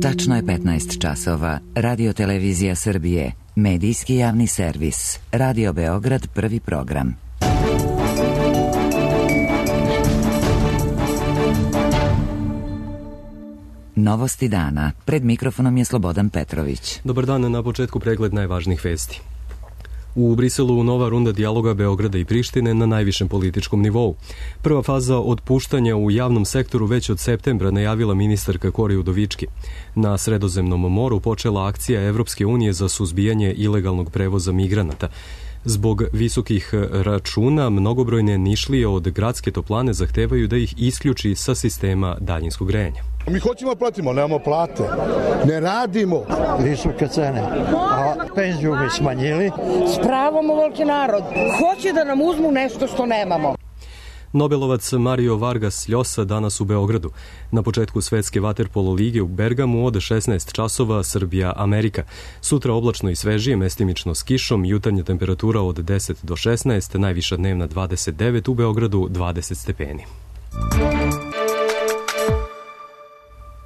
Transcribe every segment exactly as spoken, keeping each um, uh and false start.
Tačno je petnaest časova. Radio Televizija Srbije, medijski javni servis. Radio Beograd, prvi program. Novosti dana. Pred mikrofonom je Slobodan Petrović. Dobar dan, na početku pregled najvažnijih vesti. U Briselu nova runda dijaloga Beograda i Prištine na najvišem političkom nivou. Prva faza otpuštanja u javnom sektoru već od septembra najavila ministarka Kori Udovički. Na Sredozemnom moru počela akcija Evropske unije za suzbijanje ilegalnog prevoza migranata. Zbog visokih računa, mnogobrojne Nišlije od gradske toplane zahtevaju da ih isključi sa sistema daljinskog grejanja. Mi hoćemo platimo, nemamo plate, ne radimo. Visoke cene, a penziju mi smanjili. S pravom ovoliki narod hoće da nam uzmu nešto što nemamo. Nobelovac Mario Vargas Llosa danas u Beogradu. Na početku svetske vaterpolo lige u Bergamu od šesnaest časova Srbija-Amerika. Sutra oblačno i svežije, mestimično s kišom, jutarnja temperatura od deset do šesnaest, najviša dnevna dvadeset devet, u Beogradu dvadeset stepeni.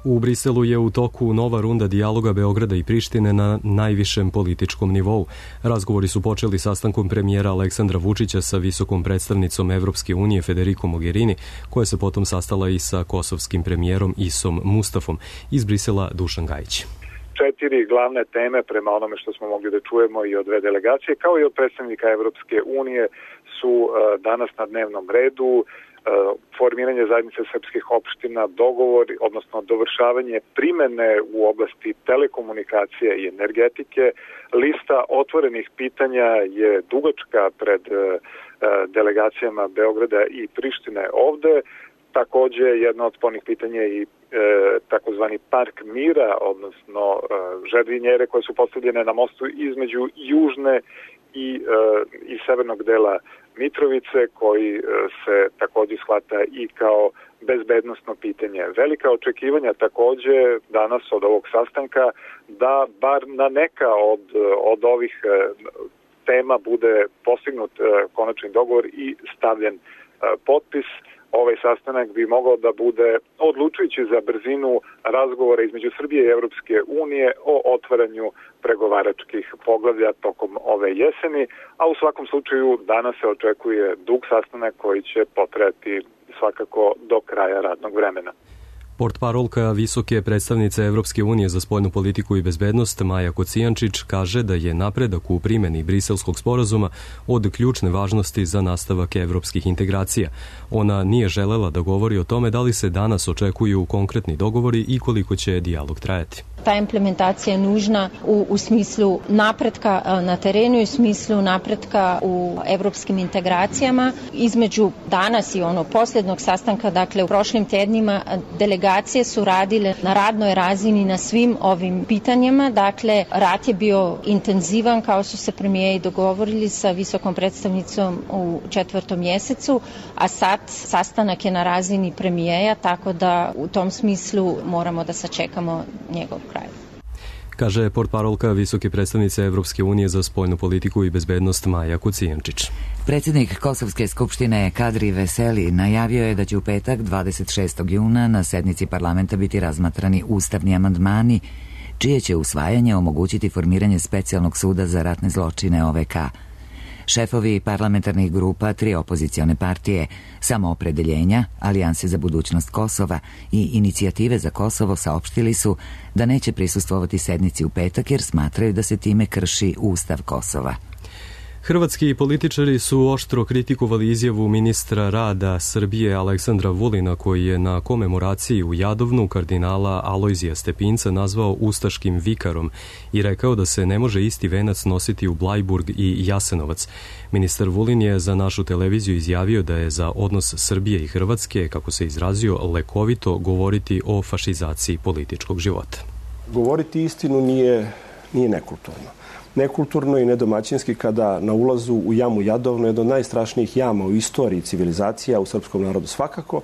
U Briselu je u toku nova runda dijaloga Beograda i Prištine na najvišem političkom nivou. Razgovori su počeli sastankom premijera Aleksandra Vučića sa visokom predstavnicom Evropske unije Federico Mogherini, koja se potom sastala i sa kosovskim premijerom Isom Mustafom. Iz Brisela Dušan Gajić. Četiri glavne teme prema onome što smo mogli da čujemo i od dve delegacije, kao i od predstavnika Evropske unije, su danas na dnevnom redu. Formiranje zajednice srpskih opština, dogovor, odnosno dovršavanje primene u oblasti telekomunikacije i energetike. Lista otvorenih pitanja je dugačka pred delegacijama Beograda i Prištine ovde. Takođe, jedno od spornih pitanja je i e, takozvani park mira, odnosno e, žerdinjere koje su postavljene na mostu između južne i, e, i severnog dela Mitrovice, koji se takođe shvata i kao bezbednosno pitanje. Velika očekivanja takođe danas od ovog sastanka da bar na neka od, od ovih tema bude postignut konačni dogovor i stavljen potpis. Ovaj sastanak bi mogao da bude odlučujući za brzinu razgovora između Srbije i Evropske unije o otvaranju pregovaračkih poglavlja tokom ove jeseni, a u svakom slučaju danas se očekuje dug sastanak koji će potrajati svakako do kraja radnog vremena. Portparolka visoke predstavnice Evropske unije za spoljnu politiku i bezbednost Maja Kocijančić kaže da je napredak u primjeni Briselskog sporazuma od ključne važnosti za nastavak evropskih integracija. Ona nije želela da govori o tome da li se danas očekuju konkretni dogovori i koliko će dijalog trajati. Ta implementacija je nužna u, u smislu napretka na terenu i u smislu napretka u evropskim integracijama. Između danas i onog posljednog sastanka, dakle u prošlim tednima, delegacije su radile na radnoj razini na svim ovim pitanjima. Dakle, rat je bio intenzivan, kao su se premijeri dogovorili sa visokom predstavnicom u četvrtom mjesecu, a sad sastanak je na razini premijera, tako da u tom smislu moramo da sačekamo njegov kraj. Kaže portparolka visoke predstavnice Evropske unije za spoljnu politiku i bezbednost Maja Kocijančić. Predsjednik Kosovske skupštine Kadri Veseli najavio je da će u petak dvadeset šestog juna na sednici parlamenta biti razmatrani ustavni amandmani, čije će usvajanje omogućiti formiranje specijalnog suda za ratne zločine O V K. Šefovi parlamentarnih grupa, tri opozicione partije, Samoopredeljenja, Alijanse za budućnost Kosova i Inicijative za Kosovo saopštili su da neće prisustvovati sednici u petak jer smatraju da se time krši Ustav Kosova. Hrvatski političari su oštro kritikovali izjavu ministra rada Srbije Aleksandra Vulina, koji je na komemoraciji u Jadovnu kardinala Alojzija Stepinca nazvao ustaškim vikarom i rekao da se ne može isti venac nositi u Blajburg i Jasenovac. Ministar Vulin je za našu televiziju izjavio da je za odnos Srbije i Hrvatske, kako se izrazio, lekovito govoriti o fašizaciji političkog života. Govoriti istinu nije, nije nekulturno. Nekulturno i nedomaćinski kada na ulazu u jamu Jadovno, jedno od najstrašnijih jama u istoriji civilizacija, u srpskom narodu svakako,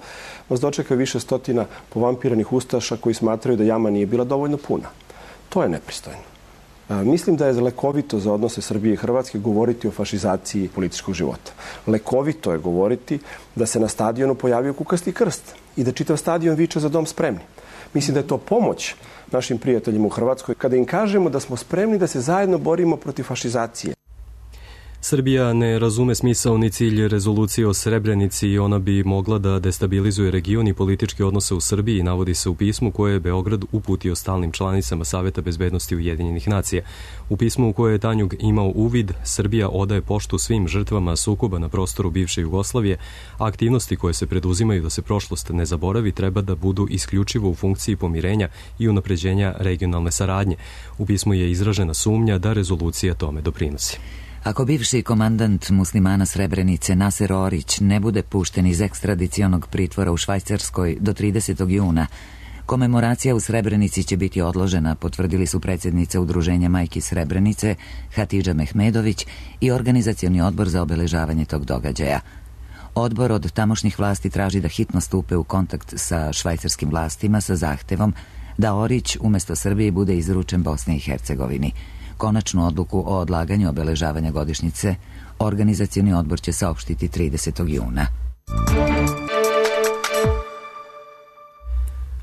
vas dočeka više stotina povampiranih ustaša koji smatraju da jama nije bila dovoljno puna. To je nepristojno. Mislim da je lekovito za odnose Srbije i Hrvatske govoriti o fašizaciji političkog života. Lekovito je govoriti da se na stadionu pojavio kukasti krst i da čitav stadion viče za dom spremni. Mislim da je to pomoć našim prijateljima u Hrvatskoj kada im kažemo da smo spremni da se zajedno borimo protiv fašizacije. Srbija ne razume smisao ni cilj rezolucije o Srebrenici i ona bi mogla da destabilizuje region i političke odnose u Srbiji, navodi se u pismu koje je Beograd uputio stalnim članicama Saveta bezbednosti Ujedinjenih nacija. U pismu u koje je Tanjug imao uvid, Srbija odaje poštu svim žrtvama sukoba na prostoru bivše Jugoslavije, a aktivnosti koje se preduzimaju da se prošlost ne zaboravi treba da budu isključivo u funkciji pomirenja i unapređenja regionalne saradnje. U pismu je izražena sumnja da rezolucija tome doprinosi. Ako bivši komandant muslimana Srebrenice Naser Orić ne bude pušten iz ekstradicionog pritvora u Švajcarskoj do tridesetog juna, komemoracija u Srebrenici će biti odložena, potvrdili su predsjednica Udruženja Majki Srebrenice Hatidža Mehmedović i organizacioni odbor za obeležavanje tog događaja. Odbor od tamošnjih vlasti traži da hitno stupe u kontakt sa švajcarskim vlastima sa zahtevom da Orić umjesto Srbije bude izručen Bosni i Hercegovini. Konačnu odluku o odlaganju obeležavanja godišnjice organizacioni odbor će saopštiti tridesetog juna.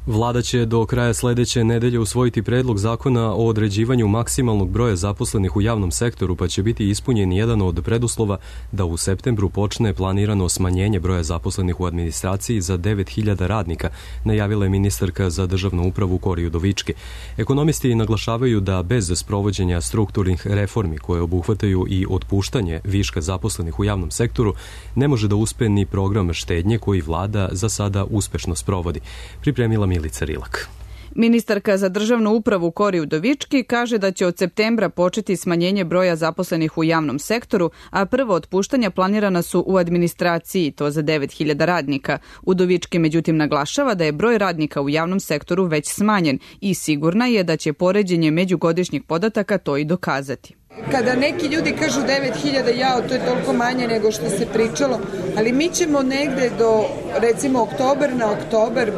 Vlada će do kraja sledeće nedelje usvojiti predlog zakona o određivanju maksimalnog broja zaposlenih u javnom sektoru, pa će biti ispunjen jedan od preduslova da u septembru počne planirano smanjenje broja zaposlenih u administraciji za devet hiljada radnika, najavila je ministarka za državnu upravu Kori Udovički. Ekonomisti naglašavaju da bez sprovođenja strukturnih reformi koje obuhvataju i otpuštanje viška zaposlenih u javnom sektoru ne može da uspe ni program štednje koji vlada za sada uspešno sprovodi. Pripremila Milica Rilak. Ministarka za državnu upravu Kori Udovički kaže da će od septembra početi smanjenje broja zaposlenih u javnom sektoru, a prvo otpuštanja planirana su u administraciji, to za devet hiljada radnika. Udovički međutim naglašava da je broj radnika u javnom sektoru već smanjen i sigurna je da će poređenje međugodišnjih podataka to i dokazati. Kada neki ljudi kažu devet hiljada, jao, to je toliko manje nego što se pričalo, ali mi ćemo negde do, recimo, oktober na oktober,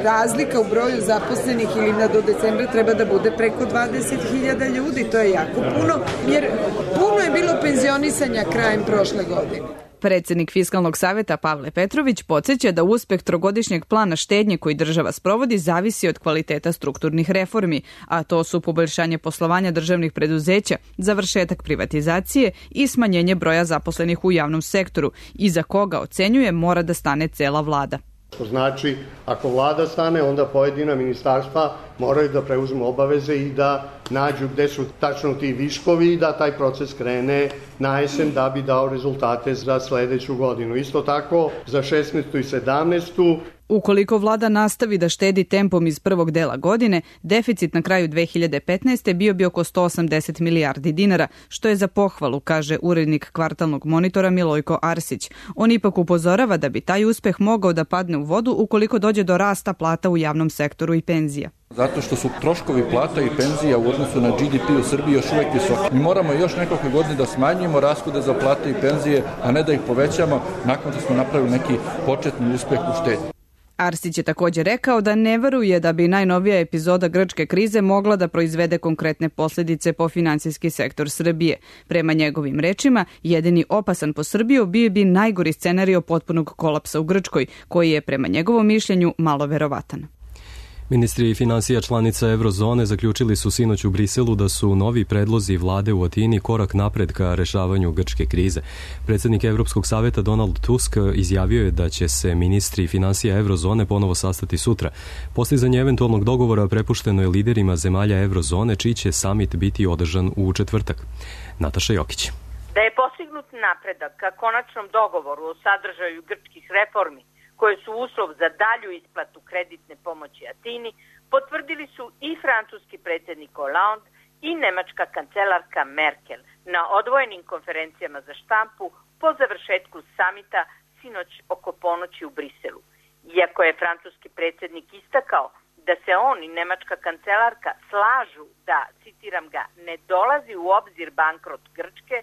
razlika u broju zaposlenih ili na do decembra treba da bude preko dvadeset hiljada ljudi, to je jako puno, jer puno je bilo penzionisanja krajem prošle godine. Predsjednik Fiskalnog saveta Pavle Petrović podsjeća da uspeh trogodišnjeg plana štednje koji država sprovodi zavisi od kvaliteta strukturnih reformi, a to su poboljšanje poslovanja državnih preduzeća, završetak privatizacije i smanjenje broja zaposlenih u javnom sektoru, iza koga ocenjuje mora da stane cela vlada. Što znači, ako vlada stane, onda pojedina ministarstva moraju da preuzmu obaveze i da nađu gde su tačno ti viškovi i da taj proces krene na jesen da bi dao rezultate za sledeću godinu. Isto tako za šesnaestu i sedamnaestu. Ukoliko vlada nastavi da štedi tempom iz prvog dela godine, deficit na kraju dve hiljade petnaeste. bio bi oko sto osamdeset milijardi dinara, što je za pohvalu, kaže urednik kvartalnog monitora Milojko Arsić. On ipak upozorava da bi taj uspeh mogao da padne u vodu ukoliko dođe do rasta plata u javnom sektoru i penzija. Zato što su troškovi plata i penzija u odnosu na G D P u Srbiji još uvek visoki. Mi moramo još nekoliko godine da smanjujemo rashode za plate i penzije, a ne da ih povećamo nakon što smo napravili neki početni uspeh u štednji. Arsić je također rekao da ne veruje da bi najnovija epizoda grčke krize mogla da proizvede konkretne posljedice po finansijski sektor Srbije. Prema njegovim rečima, jedini opasan po Srbiju bio bi najgori scenario potpunog kolapsa u Grčkoj, koji je prema njegovom mišljenju malo verovatan. Ministri finansija članica Eurozone zaključili su sinoć u Briselu da su novi predlozi vlade u Atini korak napred ka rešavanju grčke krize. Predsjednik Evropskog saveta Donald Tusk izjavio je da će se ministri finansija Eurozone ponovo sastati sutra. Postizanje eventualnog dogovora prepušteno je liderima zemalja Eurozone, čiji će samit biti održan u četvrtak. Nataša Jokić. Da je postignut napredak ka konačnom dogovoru o sadržaju grčkih reformi, koje su uslov za dalju isplatu kreditne pomoći Atini, potvrdili su i francuski predsjednik Hollande i nemačka kancelarka Merkel na odvojenim konferencijama za štampu po završetku samita sinoć oko ponoći u Briselu. Iako je francuski predsjednik istakao da se on i nemačka kancelarka slažu da, citiram ga, ne dolazi u obzir bankrot Grčke,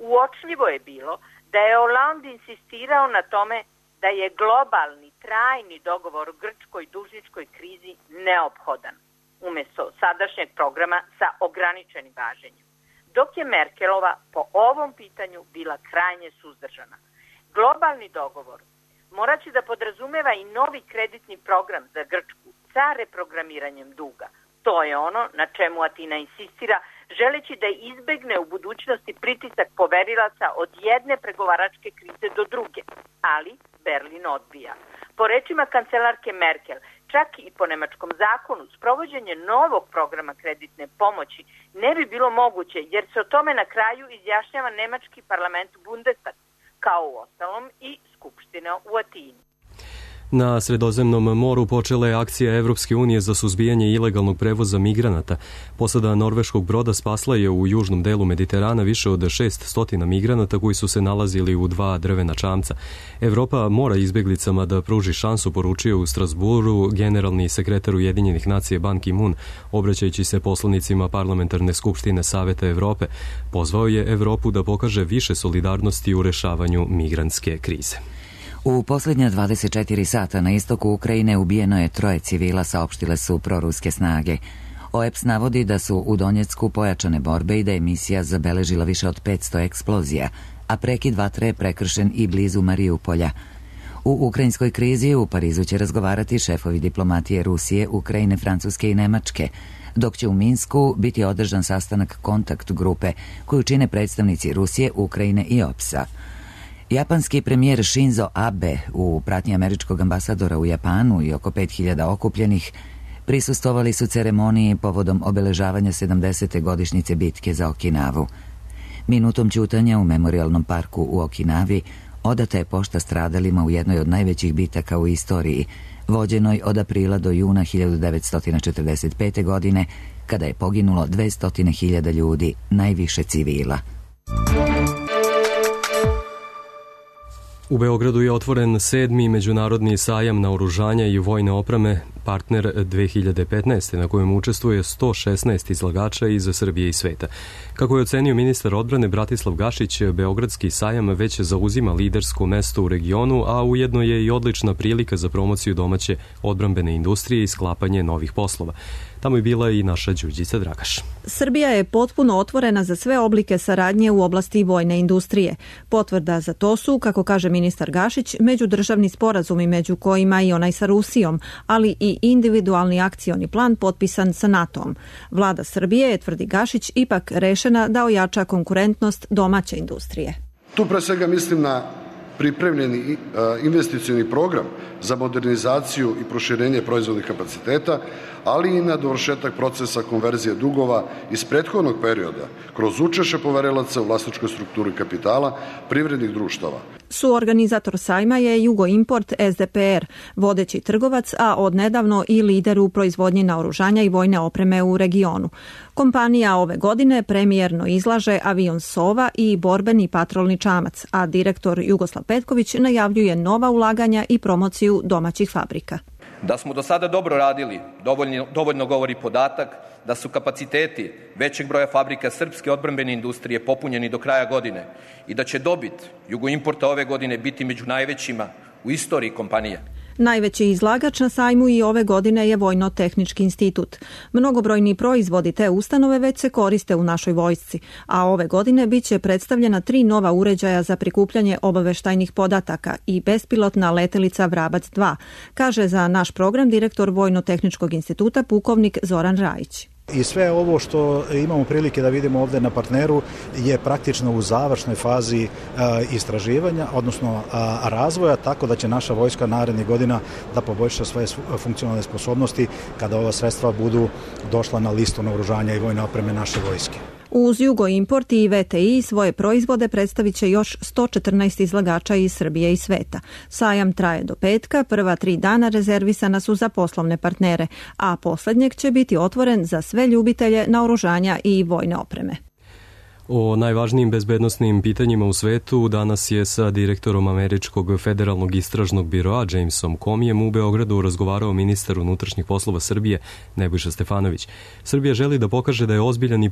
uočljivo je bilo da je Hollande insistirao na tome da je globalni, trajni dogovor o grčkoj dužničkoj krizi neophodan. umesto sadašnjeg programa sa ograničenim važenjem. Dok je Merkelova po ovom pitanju bila krajnje suzdržana. Globalni dogovor morat će da podrazumeva i novi kreditni program za Grčku sa reprogramiranjem duga. To je ono na čemu Atina insistira, želeći da izbegne u budućnosti pritisak poverilaca od jedne pregovaračke krize do druge, ali Berlin odbija. Po rečima kancelarke Merkel, čak i po nemačkom zakonu, sprovođenje novog programa kreditne pomoći ne bi bilo moguće, jer se o tome na kraju izjašnjava nemački parlament Bundestag, kao u ostalom i Skupština u Atini. Na Sredozemnom moru počela je akcija Evropske unije za suzbijanje ilegalnog prevoza migranata. Posada norveškog broda spasla je u južnom delu Mediterana više od šesnaest migranata koji su se nalazili u dva drvena čamca. Evropa mora izbjeglicama da pruži šansu, poručio u Strasburu generalni sekretar Ujedinjenih nacija Ban Ki-moon, obraćajući se poslanicima Parlamentarne skupštine Saveta Evrope. Pozvao je Evropu da pokaže više solidarnosti u rešavanju migrantske krize. U posljednja dvadeset četiri sata na istoku Ukrajine ubijeno je troje civila, saopštile su proruske snage. O E P S navodi da su u Donjecku pojačane borbe i da je misija zabeležila više od petsto eksplozija, a prekid vatre je prekršen i blizu Mariupolja. U ukrajinskoj krizi u Parizu će razgovarati šefovi diplomatije Rusije, Ukrajine, Francuske i Nemačke, dok će u Minsku biti održan sastanak kontakt grupe koju čine predstavnici Rusije, Ukrajine i O E P S-a. Japanski premijer Shinzo Abe u pratnji američkog ambasadora u Japanu i oko pet hiljada okupljenih prisustvovali su ceremoniji povodom obeležavanja sedamdesete godišnjice bitke za Okinavu. Minutom ćutanja u memorialnom parku u Okinavi odata je pošta stradalima u jednoj od najvećih bitaka u istoriji, vođenoj od aprila do juna hiljadu devetsto četrdeset pete. godine, kada je poginulo dvesta hiljada ljudi, najviše civila. U Beogradu je otvoren sedmi međunarodni sajam naoružanja i vojne opreme Partner dve hiljade petnaeste. na kojem učestvuje sto šesnaest izlagača iz Srbije i sveta. Kako je ocenio ministar odbrane Bratislav Gašić, Beogradski sajam već zauzima lidersko mesto u regionu, a ujedno je i odlična prilika za promociju domaće odbrambene industrije i sklapanje novih poslova. Tamo je bila i naša Đurđica Dragaš. Srbija je potpuno otvorena za sve oblike saradnje u oblasti vojne industrije. Potvrda za to su, kako kaže ministar Gašić, međudržavni sporazumi među kojima i onaj sa Rusijom, ali i individualni akcioni plan potpisan sa NATO-om. Vlada Srbije je, tvrdi Gašić, ipak rešena da ojača konkurentnost domaće industrije. Tu pre svega mislim na pripremljeni investicioni program za modernizaciju i proširenje proizvodnih kapaciteta, ali i na dovršetak procesa konverzije dugova iz prethodnog perioda kroz učešće poverilaca u vlasničkoj strukturi kapitala privrednih društava. Suorganizator sajma je Jugoimport S D P R, vodeći trgovac, a odnedavno i lider u proizvodnji naoružanja i vojne opreme u regionu. Kompanija ove godine premijerno izlaže avion Sova i borbeni patrolni čamac, a direktor Jugoslav Petković najavljuje nova ulaganja i promociju domaćih fabrika. Da smo do sada dobro radili, dovoljno, dovoljno govori podatak da su kapaciteti većeg broja fabrika srpske odbrambene industrije popunjeni do kraja godine i da će dobit Jugoimporta ove godine biti među najvećima u istoriji kompanije. Najveći izlagač na sajmu i ove godine je Vojno-tehnički institut. Mnogobrojni proizvodi te ustanove već se koriste u našoj vojsci, a ove godine bit će predstavljena tri nova uređaja za prikupljanje obaveštajnih podataka i bespilotna letelica Vrabac dva, kaže za naš program direktor Vojno-tehničkog instituta pukovnik Zoran Rajić. I sve ovo što imamo prilike da vidimo ovdje na partneru je praktično u završnoj fazi istraživanja, odnosno razvoja, tako da će naša vojska narednih godina da poboljša svoje funkcionalne sposobnosti kada ova sredstva budu došla na listu naoružanja i vojne opreme naše vojske. Uz Jugoimport i V T I svoje proizvode predstavit će još sto četrnaest izlagača iz Srbije i sveta. Sajam traje do petka, prva tri dana rezervisana su za poslovne partnere, a posljednjeg će biti otvoren za sve ljubitelje naoružanja i vojne opreme. O najvažnijim bezbednosnim pitanjima u svetu danas je sa direktorom Američkog federalnog istražnog biroa Jamesom Comijem u Beogradu razgovarao ministar unutrašnjih poslova Srbije Nebojša Stefanović. Srbija želi da pokaže da je ozbiljan i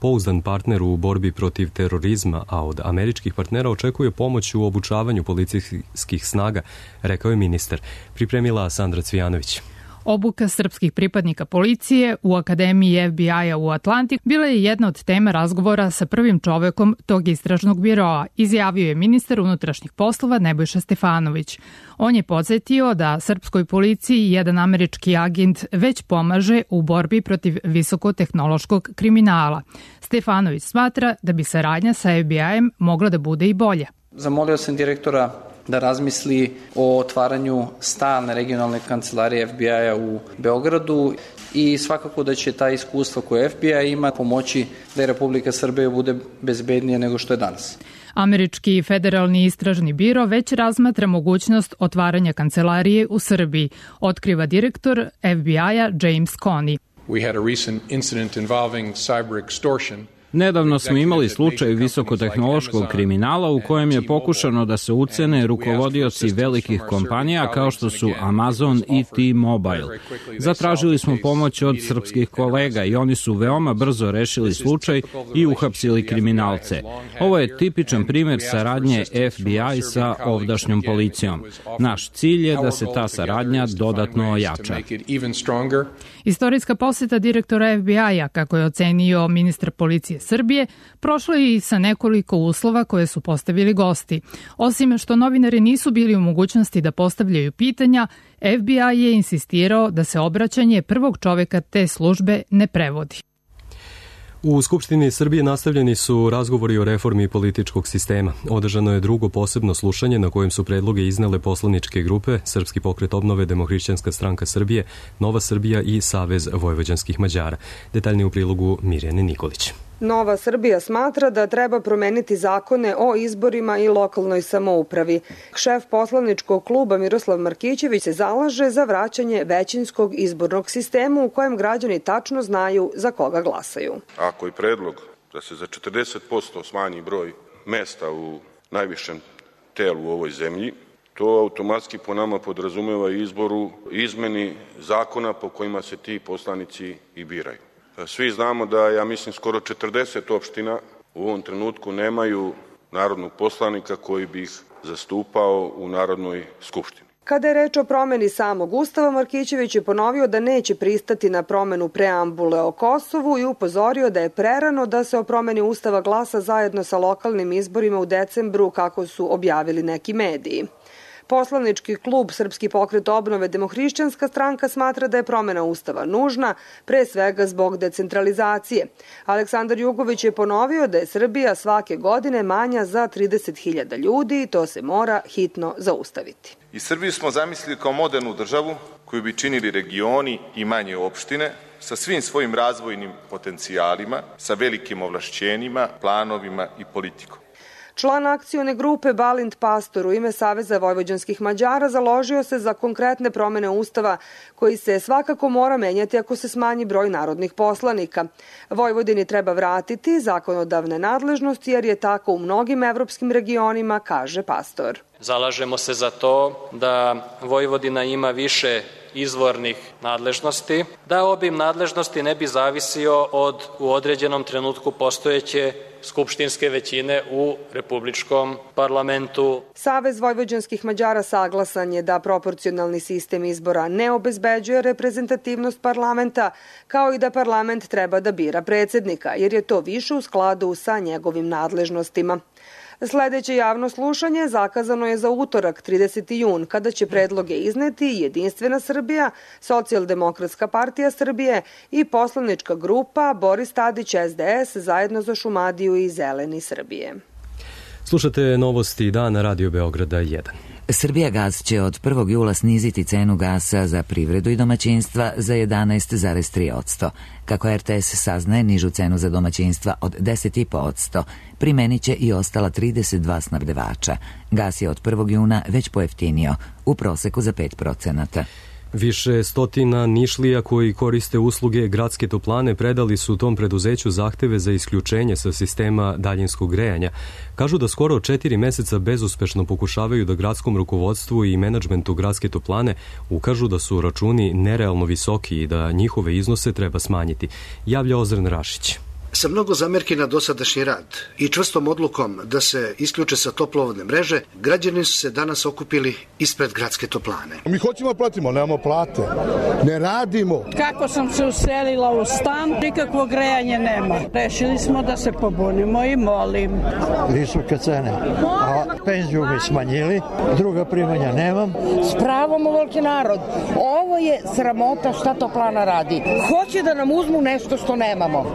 pouzdan partner u borbi protiv terorizma, a od američkih partnera očekuje pomoć u obučavanju policijskih snaga, rekao je ministar. Pripremila Sandra Cvijanović. Obuka srpskih pripadnika policije u Akademiji F B I-a u Atlantik bila je jedna od tema razgovora sa prvim čovekom tog istražnog biroa, izjavio je ministar unutrašnjih poslova Nebojša Stefanović. On je podsjetio da srpskoj policiji jedan američki agent već pomaže u borbi protiv visokotehnološkog kriminala. Stefanović smatra da bi saradnja sa F B I-em mogla da bude i bolja. Zamolio sam direktora da razmisli o otvaranju stalne regionalne kancelarije F B I-a u Beogradu i svakako da će ta iskustva koje F B I ima pomoći da je Republika Srbija bude bezbednija nego što je danas. Američki federalni istražni biro već razmatra mogućnost otvaranja kancelarije u Srbiji, otkriva direktor F B I-a James Coney. We had a recent incident involving cyber extortion. Nedavno smo imali slučaj visokotehnološkog kriminala u kojem je pokušano da se ucene rukovodioci velikih kompanija kao što su Amazon i T-Mobile. Zatražili smo pomoć od srpskih kolega i oni su veoma brzo rešili slučaj i uhapsili kriminalce. Ovo je tipičan primjer saradnje F B I sa ovdašnjom policijom. Naš cilj je da se ta saradnja dodatno ojača. Istorijska posjeta direktora F B I-a, kako je ocenio ministar policije Srbije, prošlo je i sa nekoliko uslova koje su postavili gosti. Osim što novinari nisu bili u mogućnosti da postavljaju pitanja, F B I je insistirao da se obraćanje prvog čoveka te službe ne prevodi. U Skupštini Srbije nastavljeni su razgovori o reformi političkog sistema. Održano je drugo posebno slušanje na kojem su predloge iznele poslaničke grupe Srpski pokret obnove, Demohrišćanska stranka Srbije, Nova Srbija i Savez vojvođanskih Mađara. Detaljnije u prilogu Mirjane Nikolić. Nova Srbija smatra da treba promeniti zakone o izborima i lokalnoj samoupravi. Šef poslaničkog kluba Miroslav Markićević se zalaže za vraćanje većinskog izbornog sistema u kojem građani tačno znaju za koga glasaju. Ako je predlog da se za četrdeset posto smanji broj mesta u najvišem telu u ovoj zemlji, to automatski po nama podrazumeva izboru izmeni zakona po kojima se ti poslanici i biraju. Svi znamo da, ja mislim, skoro četrdeset opština u ovom trenutku nemaju narodnog poslanika koji bi ih zastupao u Narodnoj skupštini. Kada je reč o promeni samog Ustava, Markićević je ponovio da neće pristati na promenu preambule o Kosovu i upozorio da je prerano da se o promeni Ustava glasa zajedno sa lokalnim izborima u decembru, kako su objavili neki mediji. Poslanički klub Srpski pokret obnove, Demohrišćanska stranka smatra da je promena Ustava nužna, pre svega zbog decentralizacije. Aleksandar Jugović je ponovio da je Srbija svake godine manja za trideset hiljada ljudi i to se mora hitno zaustaviti. I Srbiju smo zamislili kao modernu državu koju bi činili regioni i manje opštine sa svim svojim razvojnim potencijalima, sa velikim ovlašćenjima, planovima i politikom. Član akcione grupe Balint Pastor u ime Saveza vojvođanskih Mađara založio se za konkretne promene Ustava koji se svakako mora menjati ako se smanji broj narodnih poslanika. Vojvodini treba vratiti zakonodavne nadležnosti jer je tako u mnogim evropskim regionima, kaže Pastor. Zalažemo se za to da Vojvodina ima više izvornih nadležnosti, da obim nadležnosti ne bi zavisio od u određenom trenutku postojeće skupštinske većine u republičkom parlamentu. Savez vojvođanskih Mađara saglasan je da proporcionalni sistem izbora ne obezbeđuje reprezentativnost parlamenta, kao i da parlament treba da bira predsednika, jer je to više u skladu sa njegovim nadležnostima. Sledeće javno slušanje zakazano je za utorak, trideseti jun, kada će predloge izneti Jedinstvena Srbija, Socijaldemokratska partija Srbije i poslanička grupa Boris Tadić S D S zajedno za Šumadiju i Zeleni Srbije. Slušate novosti dana Radio Beograda jedan. Srbijagas će od prvog jula sniziti cenu gasa za privredu i domaćinstva za jedanaest zarez tri posto. Kako R T S saznaje, nižu cenu za domaćinstva od deset zarez pet posto primenit će i ostala trideset dva snabdevača. Gas je od prvog juna već pojeftinio, u proseku za pet procenata. Više stotina Nišlija koji koriste usluge gradske toplane predali su tom preduzeću zahteve za isključenje sa sistema daljinskog grejanja. Kažu da skoro četiri meseca bezuspešno pokušavaju da gradskom rukovodstvu i menadžmentu gradske toplane ukažu da su računi nerealno visoki i da njihove iznose treba smanjiti, javlja Ozren Rašić. Sa mnogo zamerki na dosadašnji rad i čvrstom odlukom da se isključe sa toplovodne mreže, građani su se danas okupili ispred gradske toplane. Mi hoćemo da platimo, nemamo plate, ne radimo. Kako sam se uselila u stan, nikakvo grejanje nema. Rešili smo da se pobunimo i molim. Visoke cene, a penziju mi smanjili, druga primanja nemam. S pravom ovoliki narod. Ovo je sramota šta toplana radi. Hoće da nam uzmu nešto što nemamo.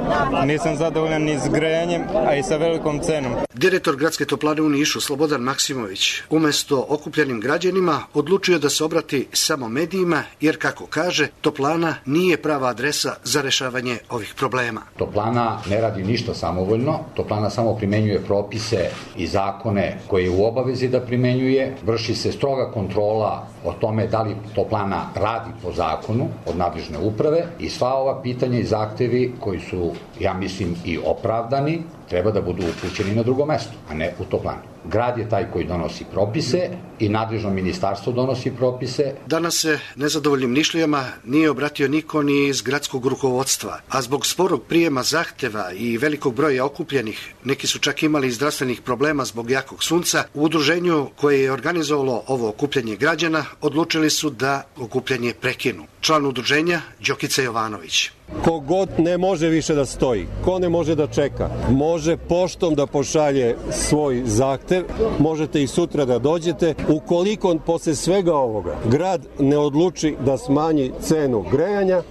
Nisam zadovoljan ni s grejanjem, a i sa velikom cenom. Direktor gradske toplane u Nišu, Slobodan Maksimović, umesto okupljenim građanima odlučio da se obrati samo medijima, jer kako kaže, toplana nije prava adresa za rešavanje ovih problema. Toplana ne radi ništa samovoljno, toplana samo primenjuje propise i zakone koje je u obavezi da primenjuje, vrši se stroga kontrola o tome da li toplana radi po zakonu od nadležne uprave i sva ova pitanja i zahtevi koji su, ja mislim, i opravdani, treba da budu upućeni na drugo mesto, a ne u toplanu. Grad je taj koji donosi propise i nadležno ministarstvo donosi propise. Danas se nezadovoljnim Nišlijama nije obratio niko ni iz gradskog rukovodstva, a zbog sporog prijema zahteva i velikog broja okupljenih, neki su čak imali i zdravstvenih problema zbog jakog sunca, u udruženju koje je organizovalo ovo okupljanje građana odlučili su da okupljanje prekinu. Član udruženja Đokica Jovanović. Ko god ne može više da stoji, ko ne može da čeka, može poštom da pošalje svoj zahtev, možete i sutra da dođete. Ukoliko posle svega ovoga grad ne odluči da smanji cenu grejanja,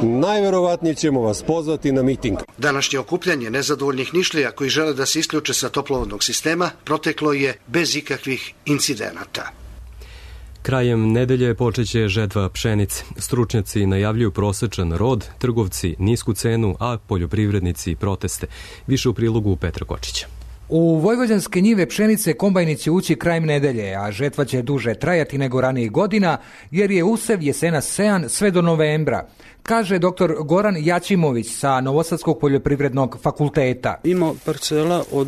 najverovatnije ćemo vas pozvati na miting. Današnje okupljanje nezadovoljnih Nišlija koji žele da se isključe sa toplovodnog sistema proteklo je bez ikakvih incidenata. Krajem nedelje počeće žetva pšenice. Stručnjaci najavljuju prosečan rod, trgovci nisku cenu, a poljoprivrednici proteste. Više u prilogu Petra Kočića. U vojvođanske njive pšenice kombajni će ući krajem nedelje, a žetva će duže trajati nego ranijih godina, jer je usev jesenas sejan sve do novembra, kaže doktor Goran Jačimović sa Novosadskog poljoprivrednog fakulteta. Ima parcela od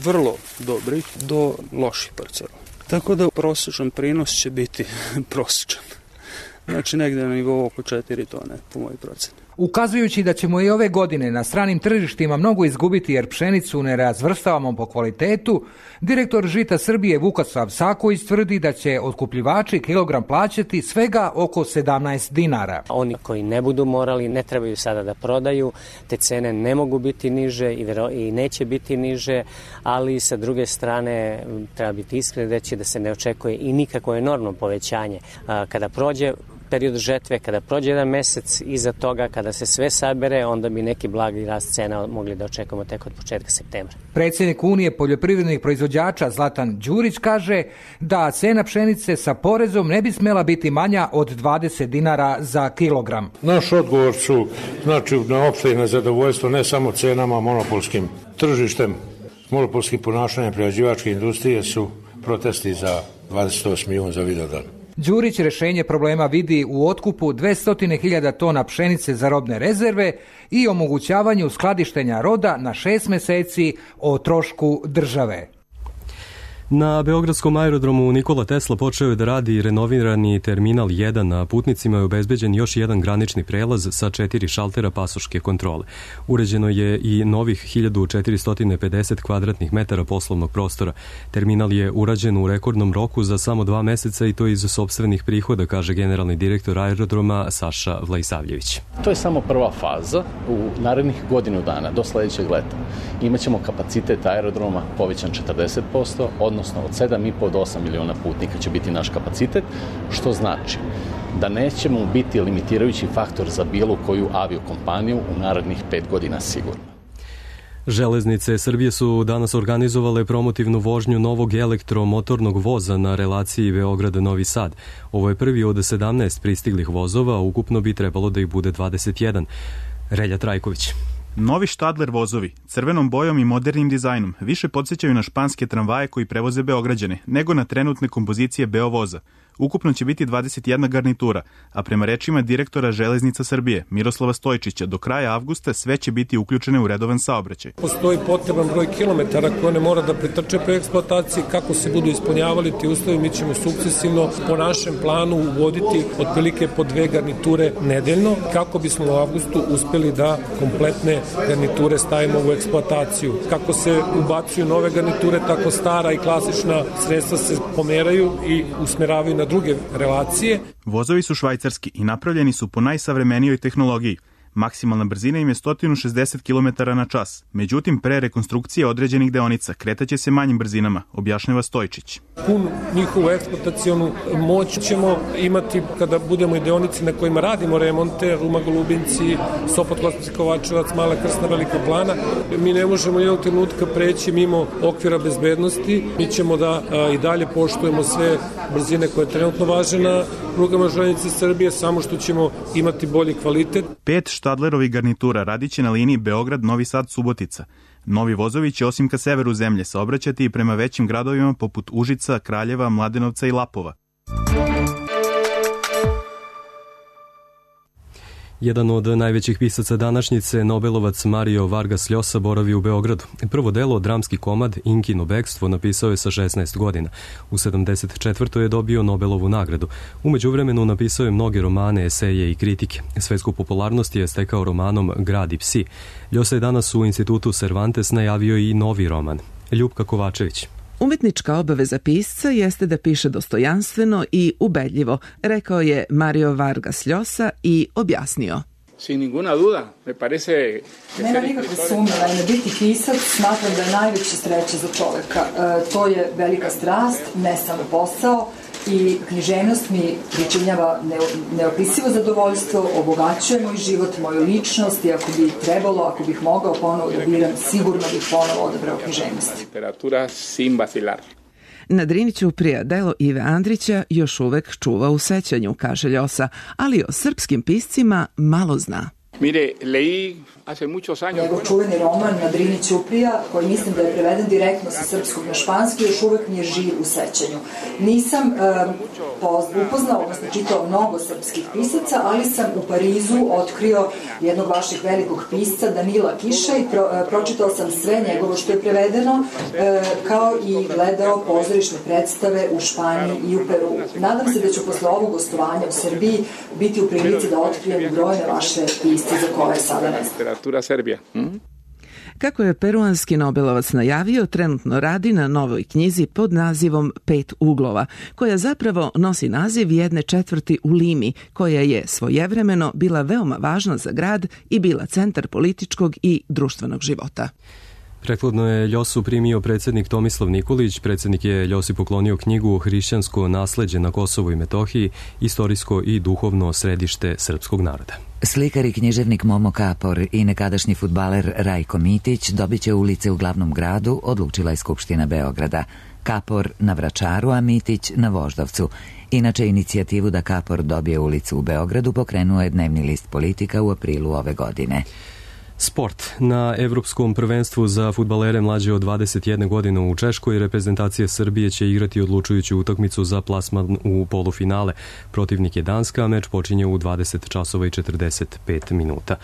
vrlo dobrih do loših parcela. Tako da prosječan prinos će biti prosječan. Znači negde na nivou oko četiri tone po mojoj proceni. Ukazujući da ćemo i ove godine na stranim tržištima mnogo izgubiti jer pšenicu ne razvrstavamo po kvalitetu, direktor Žita Srbije Vukasav Saković tvrdi da će otkupljivači kilogram plaćati svega oko sedamnaest dinara. Oni koji ne budu morali, ne trebaju sada da prodaju, te cene ne mogu biti niže i, vero, i neće biti niže, ali sa druge strane treba biti iskren reći da se ne očekuje i nikako enormno povećanje. Kada prođe period žetve, kada prođe jedan mesec iza toga, kada se sve sabere, onda bi neki blagi rast cena mogli da očekujemo tek od početka septembra. Predsjednik Unije poljoprivrednih proizvođača Zlatan Đurić kaže da cena pšenice sa porezom ne bi smela biti manja od dvadeset dinara za kilogram. Naš odgovor su, znači, na opšte nezadovoljstvo ne samo cenama, monopolskim tržištem, monopolskim ponašanjem prerađivačke industrije su protesti za dvadeset osam miliona za Vidovdan. Đurić rešenje problema vidi u otkupu dvesta hiljada tona pšenice za robne rezerve i omogućavanju skladištenja roda na šest meseci o trošku države. Na Beogradskom aerodromu Nikola Tesla počeo je da radi renovirani terminal jedan, a putnicima je obezbeđen još jedan granični prelaz sa četiri šaltera pasoške kontrole. Uređeno je i novih hiljadu četiristo pedeset kvadratnih metara poslovnog prostora. Terminal je urađen u rekordnom roku za samo dva meseca i to iz sopstvenih prihoda, kaže generalni direktor aerodroma Saša Vlajsavljević. To je samo prva faza. U narednih godinu dana do sledećeg leta imaćemo kapacitet aerodroma povećan četrdeset posto, odnosno od sedam i po do osam miliona putnika će biti naš kapacitet, što znači da nećemo biti limitirajući faktor za bilo koju aviokompaniju u narednih pet godina sigurno. Železnice Srbije su danas organizovale promotivnu vožnju novog elektromotornog voza na relaciji Beograd-Novi Sad. Ovo je prvi od sedamnaest pristiglih vozova, ukupno bi trebalo da ih bude dvadeset jedan. Relja Trajković. Novi Štadler vozovi, crvenom bojom i modernim dizajnom, više podsjećaju na španske tramvaje koji prevoze Beograđane, nego na trenutne kompozicije Beovoza. Ukupno će biti dvadeset jedna garnitura, a prema rečima direktora Železnica Srbije Miroslava Stojčića, do kraja avgusta sve će biti uključene u redovan saobraćaj. Postoji potreban broj kilometara koje ne mora da pretrče pre eksploatacije. Kako se budu ispunjavali ti uslovi, mi ćemo sukcesivno po našem planu uvoditi otprilike po dve garniture nedeljno, kako bismo u avgustu uspeli da kompletne garniture stavimo u eksploataciju. Kako se ubacuju nove garniture, tako stara i klasična sredstva se pomeraju i usmeravaju na druge relacije. Vozovi su švajcarski i napravljeni su po najsavremenijoj tehnologiji. Maksimalna brzina im je sto šezdeset kilometara na čas. Međutim, pre rekonstrukcije određenih deonica kretaće se manjim brzinama, objašnjava Stojčić. Pun njihovu eksploatacionu moć ćemo imati kada budemo i deonici na kojima radimo remonte, Ruma-Golubinci, Sopot-Kosovci-Kovačevac, Mala Krsna, Velika Plana. Mi ne možemo jednog trenutka preći mimo okvira bezbednosti. Mi ćemo da a, i dalje poštujemo sve brzine koje trenutno važe na prugama Železnice Srbije, samo što ćemo imati bolji kvalitet. Pet Štadlerovi garnitura radiće na liniji Beograd-Novi Sad-Subotica. Novi vozovi će osim ka severu zemlje saobraćati i prema većim gradovima poput Užica, Kraljeva, Mladenovca i Lapova. Jedan od najvećih pisaca današnjice, Nobelovac Mario Vargas Llosa, boravi u Beogradu. Prvo delo, dramski komad Inkino bekstvo, napisao je sa šesnaest godina. U sedamdeset četvrtoj je dobio Nobelovu nagradu. U međuvremenu napisao je mnoge romane, eseje i kritike. Svetsku popularnost je stekao romanom Grad i psi. Llosa je danas u institutu Cervantes najavio i novi roman. Ljupka Kovačević. Umetnička obaveza pisca jeste da piše dostojanstveno i ubedljivo, rekao je Mario Vargas Llosa i objasnio. Sin ninguna duda, me parece... Nema nikakve sumnje, naime, biti pisac smatram da je najveća sreća za čoveka. E, to je velika strast, ne samo posao, i književnost mi pričinjava neopisivo zadovoljstvo, obogaćuje moj život, moju ličnost i ako bi trebalo, ako bih mogao ponovo da biram, sigurno bih ponovo odabrao književnost. Literatura sin vacilar. Na Drini ćuprija delo Ive Andrića još uvek čuva u sećanju, kaže Llosa, ali o srpskim piscima malo zna. Mire, leí hace muchos años. Njegov čuveni roman Na Drini ćuprija, koji mislim da je preveden direktno sa srpskog na španski, još uvek mi je živ u sećanju. Nisam uh, upoznao, odnosno čitao mnogo srpskih pisaca, ali sam u Parizu otkrio jednog vašeg velikog pisca, Danila Kiša, i pro, uh, pročitao sam sve njegovo što je prevedeno, uh, kao i gledao pozorišne predstave u Španiji i u Peru. Nadam se da ću posle ovog gostovanja u Srbiji biti u prilici da otkrijem brojne vaše pisce za koje sada ne znam. Kako je peruanski Nobelovac najavio, trenutno radi na novoj knjizi pod nazivom Pet uglova, koja zapravo nosi naziv jedne četvrti u Limi, koja je svojevremeno bila veoma važna za grad i bila centar političkog i društvenog života. Prethodno je Ljosu primio predsjednik Tomislav Nikolić. Predsjednik je Ljosi poklonio knjigu Hrišćansko nasleđe na Kosovu i Metohiji, istorijsko i duhovno središte srpskog naroda. Slikar i književnik Momo Kapor i nekadašnji fudbaler Rajko Mitić dobit će ulice u glavnom gradu, odlučila je Skupština Beograda. Kapor na Vračaru, a Mitić na Voždovcu. Inače, inicijativu da Kapor dobije ulicu u Beogradu pokrenuo je dnevni list Politika u aprilu ove godine. Sport. Na Evropskom prvenstvu za fudbalere mlađe od dvadeset jedne godine u Češkoj reprezentacija Srbije će igrati odlučujuću utakmicu za plasman u polufinale. Protivnik je Danska, a meč počinje u dvadeset časova i četrdeset pet minuta.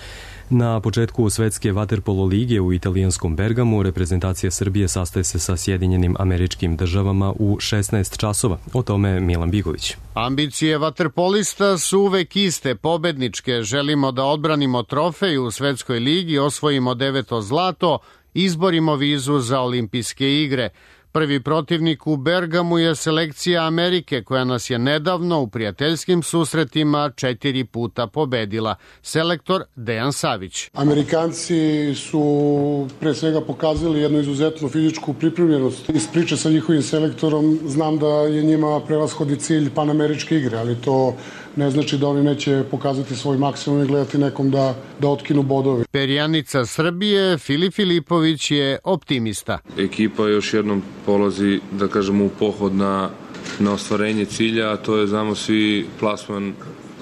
Na početku svetske vaterpolo lige u italijanskom Bergamu reprezentacija Srbije sastaje se sa Sjedinjenim Američkim Državama u šesnaest časova. O tome Milan Bigović. Ambicije vaterpolista su uvek iste, pobedničke. Želimo da odbranimo trofej u svetskoj ligi, osvojimo deveto zlato, izborimo vizu za olimpijske igre. Prvi protivnik u Bergamu je selekcija Amerike, koja nas je nedavno u prijateljskim susretima četiri puta pobedila. Selektor Dejan Savić. Amerikanci su pre svega pokazali jednu izuzetnu fizičku pripremljenost. Iz priče sa njihovim selektorom znam da je njima prevashodni cilj panameričke igre, ali to ne znači da oni neće pokazati svoj maksimum i gledati nekom da, da otkinu bodove. Perjanica Srbije Filip Filipović je optimista. Ekipa još jednom polazi, da kažemo, u pohod na, na ostvarenje cilja, a to je, znamo svi, plasman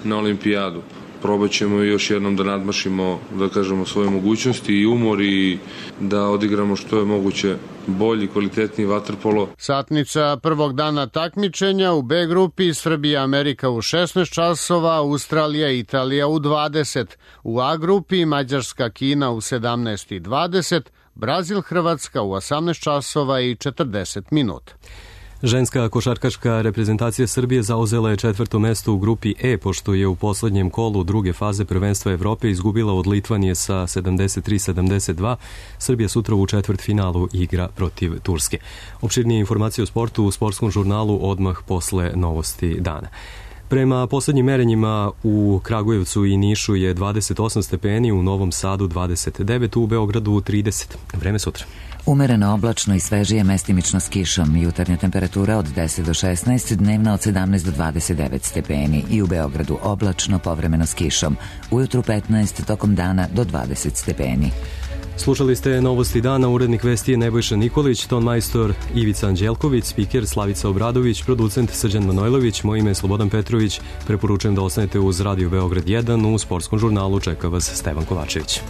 na olimpijadu. probat ćemo još jednom da nadmašimo, da kažemo, svoje mogućnosti i umor i da odigramo što je moguće bolji, kvalitetniji vaterpolo. Satnica prvog dana takmičenja u B grupi Srbija Amerika u šesnaest časova, Australija i Italija u dvadeset. U A grupi Mađarska Kina u sedamnaest i dvadeset, Brazil Hrvatska u osamnaest časova i četrdeset minuta. Ženska košarkaška reprezentacija Srbije zauzela je četvrto mesto u grupi E, pošto je u poslednjem kolu druge faze prvenstva Evrope izgubila od Litvanije sa sedamdeset tri sedamdeset dva. Srbija sutra u četvrtfinalu igra protiv Turske. Opširnije informacije o sportu u sportskom žurnalu odmah posle novosti dana. Prema poslednjim merenjima u Kragujevcu i Nišu je dvadeset osam stepeni, u Novom Sadu dvadeset devet, u Beogradu trideset. Vreme sutra. Umereno oblačno i svežije, mestimično s kišom. Jutarnja temperatura od deset do šesnaest, dnevna od sedamnaest do dvadeset devet stepeni. I u Beogradu oblačno, povremeno s kišom. Ujutru petnaest, tokom dana do dvadeset stepeni. Slušali ste novosti dana, urednik vesti je Nebojša Nikolić, ton majstor Ivica Anđelković, spiker Slavica Obradović, producent Srđan Manojlović, moje ime je Slobodan Petrović. Preporučujem da ostanete uz Radio Beograd jedan, u sportskom žurnalu čeka vas Stevan Kovačević.